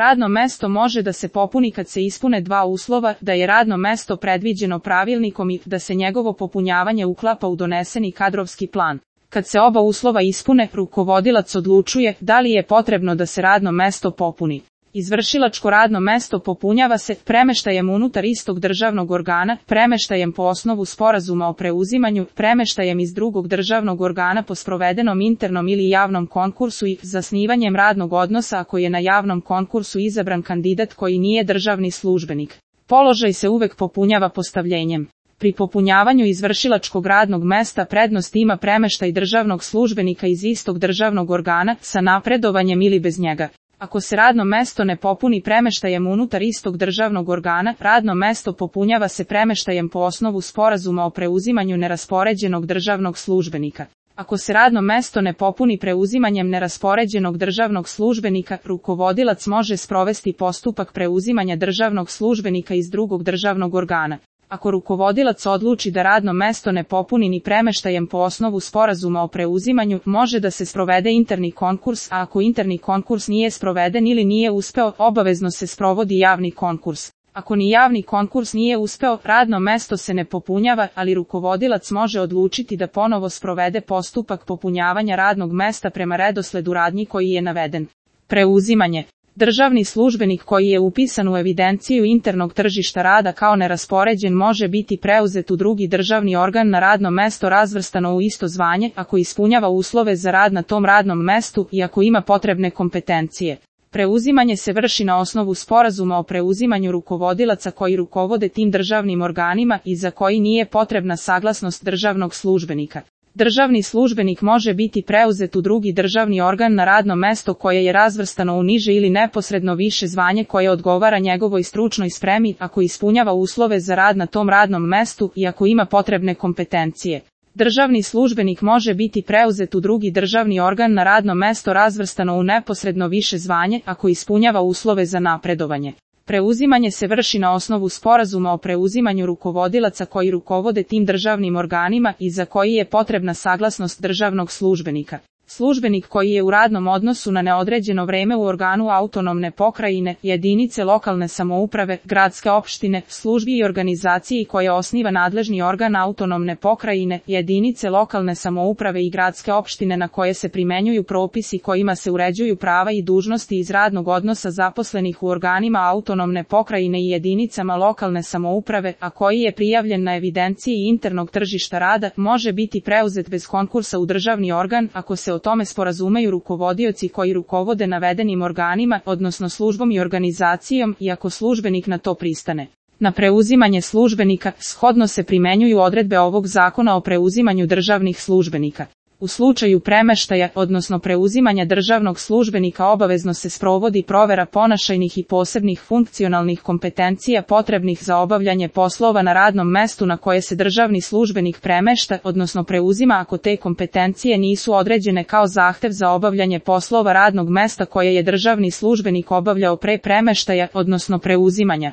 Radno mesto može da se popuni kad se ispune dva uslova, da je radno mesto predviđeno pravilnikom i da se njegovo popunjavanje uklapa u doneseni kadrovski plan. Kad se oba uslova ispune, rukovodilac odlučuje da li je potrebno da se radno mesto popuni. Izvršilačko radno mesto popunjava se premeštajem unutar istog državnog organa, premeštajem po osnovu sporazuma o preuzimanju, premeštajem iz drugog državnog organa po sprovedenom internom ili javnom konkursu i zasnivanjem radnog odnosa ako je na javnom konkursu izabran kandidat koji nije državni službenik. Položaj se uvek popunjava postavljenjem. Pri popunjavanju izvršilačkog radnog mesta prednost ima premeštaj državnog službenika iz istog državnog organa sa napredovanjem ili bez njega. Ako se radno mesto ne popuni premeštajem unutar istog državnog organa, radno mesto popunjava se premeštajem po osnovu sporazuma o preuzimanju neraspoređenog državnog službenika. Ako se radno mesto ne popuni preuzimanjem neraspoređenog državnog službenika, rukovodilac može sprovesti postupak preuzimanja državnog službenika iz drugog državnog organa. Ako rukovodilac odluči da radno mesto ne popuni ni premeštajem po osnovu sporazuma o preuzimanju, može da se sprovede interni konkurs, a ako interni konkurs nije sproveden ili nije uspeo, obavezno se sprovodi javni konkurs. Ako ni javni konkurs nije uspeo, radno mesto se ne popunjava, ali rukovodilac može odlučiti da ponovo sprovede postupak popunjavanja radnog mesta prema redosledu radnji koji je naveden. Preuzimanje. Državni službenik koji je upisan u evidenciju internog tržišta rada kao neraspoređen može biti preuzet u drugi državni organ na radno mesto razvrstano u isto zvanje ako ispunjava uslove za rad na tom radnom mestu i ako ima potrebne kompetencije. Preuzimanje se vrši na osnovu sporazuma o preuzimanju rukovodilaca koji rukovode tim državnim organima i za koji nije potrebna saglasnost državnog službenika. Državni službenik može biti preuzet u drugi državni organ na radno mesto koje je razvrstano u niže ili neposredno više zvanje koje odgovara njegovoj stručnoj spremi ako ispunjava uslove za rad na tom radnom mestu i ako ima potrebne kompetencije. Državni službenik može biti preuzet u drugi državni organ na radno mesto razvrstano u neposredno više zvanje ako ispunjava uslove za napredovanje. Preuzimanje se vrši na osnovu sporazuma o preuzimanju rukovodilaca koji rukovode tim državnim organima i za koji je potrebna saglasnost državnog službenika. Službenik koji je u radnom odnosu na neodređeno vreme u organu autonomne pokrajine, jedinice lokalne samouprave, gradske opštine, službi i organizaciji koje osniva nadležni organ autonomne pokrajine, jedinice lokalne samouprave i gradske opštine na koje se primenjuju propisi kojima se uređuju prava i dužnosti iz radnog odnosa zaposlenih u organima autonomne pokrajine i jedinicama lokalne samouprave, a koji je prijavljen na evidenciji internog tržišta rada, može biti preuzet bez konkursa u državni organ ako se o tome sporazumeju rukovodioci koji rukovode navedenim organima, odnosno službom i organizacijom, i ako službenik na to pristane. Na preuzimanje službenika shodno se primenjuju odredbe ovog zakona o preuzimanju državnih službenika. U slučaju premeštaja, odnosno preuzimanja državnog službenika obavezno se sprovodi provera ponašajnih i posebnih funkcionalnih kompetencija potrebnih za obavljanje poslova na radnom mestu na koje se državni službenik premešta, odnosno preuzima ako te kompetencije nisu određene kao zahtev za obavljanje poslova radnog mesta koje je državni službenik obavljao pre premeštaja, odnosno preuzimanja.